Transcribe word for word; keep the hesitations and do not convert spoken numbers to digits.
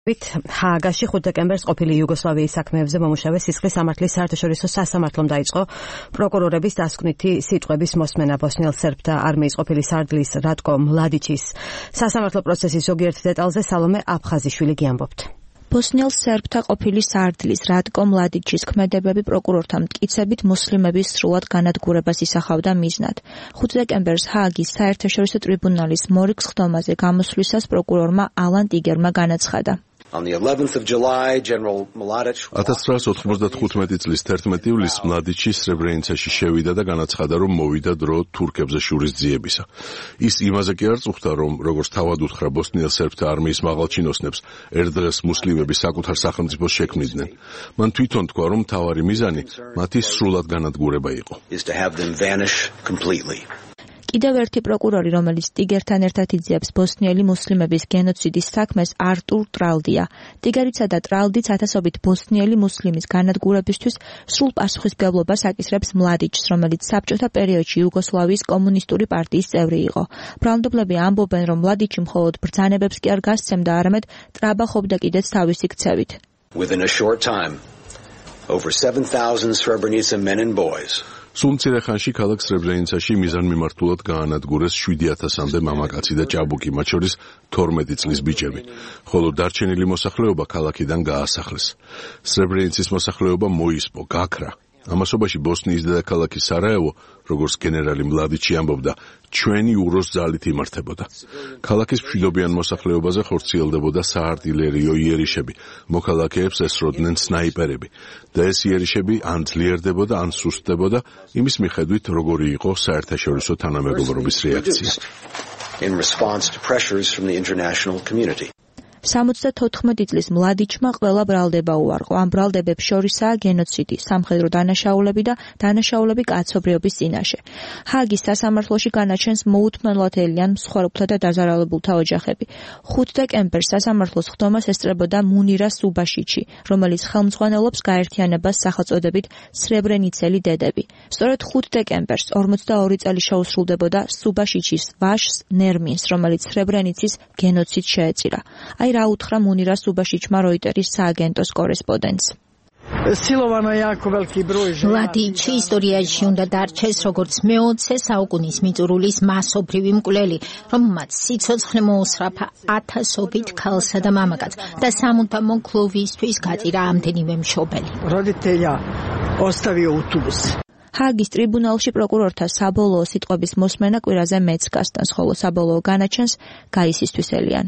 ჰააგაში ხუთი დეკემბერს ყოფილი იუგოსლავიის საქმეებზე მომუშავე სისხლის სამართლის საერთაშორისო სასამართლომ დაიწყო პროკურორების დასკვნითი სიტყვების მოსმენა ბოსნიელ სერბთა არმიის ყოფილი სარდლის რატკო მლადიჩის სასამართლო პროცესის ზოგიერთ დეტალზე სალომე აფხაზიშვილი გიამბობთ. ბოსნიელ სერბთა ყოფილი სარდლის რატკო მლადიჩის ქმედებები პროკურორთა მტკიცებით მუსლიმების სრულად განადგურებას ისახავდა მიზნად. ხუთი დეკემბერს ჰააგის საერთაშორისო ტრიბუნალის მორიგ სხდომაზე გამოსვლისას პროკურორმა ალან ტიგერმა განაცხადა. ათას ცხრაას ოთხმოცდათხუთმეტი წლის თერთმეტი ივლისს მლადიჩი სრებრენიცაში შევიდა და განაცხადა, რომ მოვიდა დრო თურქებზე შურისძიებისა. ის იმაზე კი არ წუხდა, რომ როგორც თავად უთხრა ბოსნიელ სერბთა არმიის მაღალჩინოსნებს, ერთ დღეს მუსლიმები საკუთარ სახელმწიფოს შექმნიდნენ. მან თვითონ თქვა, რომ მთავარი მიზანი მათი სრულად განადგურება იყო. კიდევ ერთი პროკურორი, რომელიც ტიგერთან ერთად იძიებს ბოსნიელი მუსლიმების გენოციდის საქმეს, არტურ ტრალდია. ტიგერიცა და ტრალდიც ათასობით ბოსნიელი მუსლიმის განადგურებისთვის სრულ პასუხისმგებლობას აკისრებს მლადიჩს, რომელიც საბჭოთა პერიოდში იუგოსლავიის კომუნისტური პარტიის წევრი იყო. ბრალმდებლები ამბობენ, რომ მლადიჩი მხოლოდ ბრძანებებს კი არ გასცემდა, არამედ ტრაბახობდა კიდეც თავისი ქცევით. სულ მცირე ხანში ქალაქ სრებრენიცაში მიზანმიმართულად გაანადგურეს შვიდი ათასამდე მამაკაცი და ჭაბუკი, მათ შორის თორმეტი წლის ბიჭები, ხოლო დარჩენილი მოსახლეობა ქალაქიდან გაასახლეს. სრებრენიცის მოსახლეობა მოისპო, გაქრა. ამასობაში ბოსნიის დედაქალაქი სარაევო, როგორც გენერალი მლადიჩი ამბობდა, ჩვენი უროს ძალით იმართებოდა. ქალაქის მშვიდობიან მოსახლეობაზე ხორციელდებოდა საარტილერიო იერიშები, მოქალაქეებს ესროდნენ სნაიპერები და ეს იერიშები ან ძლიერდებოდა, ან სუსტდებოდა, იმის მიხედვით, როგორი იყო საერთაშორისო თანამეგობრობის რეაქცია. სამოცდათოთხმეტი წლის მლადიჩმა ყველა ბრალდება უარყო. ამ ბრალდებებს შორისაა გენოციდი, სამხედრო დანაშაულები და დანაშაულები კაცობრიობის წინაშე. ჰააგის სასამართლოში განაჩენს მოუთმენლად ელიან მსხვერპლთა და დაზარალებულთა ოჯახები. ხუთი დეკემბერს სასამართლოს ხდომას ესწრებოდა მუნირა სუბაშიჩი, რომელიც ხელმძღვანელობს გაერთიანებას სახელწოდებით სრებრენიცელი დედები. სწორედ ხუთი დეკემბერს ორმოცდაორი წელი შეუსრულდებოდა სუბაშიჩის ვაჟს ნერმინს, რომელიც სრებრენიცის გენოციდს შეეწირა. აი რა უთხრა მუნირა სუბაშიჩმა როიტერის სააგენტოს კორესპონდენტს. მლადიჩი ისტორიაში უნდა დარჩეს როგორც მეოცე საუკუნის მიწურულის მასობრივი მკვლელი, რომელმაც სიცოცხლე მოუსწრაფა ათასობით ქალსა და მამაკაცს და სამუდამო ქლუვისთვის გაწირა ამდენივე მშობელი. ჰააგის ტრიბუნალში პროკურორთა საბოლოო სიტყვების მოსმენა კვირაზე მეც გასტანს, ხოლო საბოლოო განაჩენს გაისისთვის ელიან.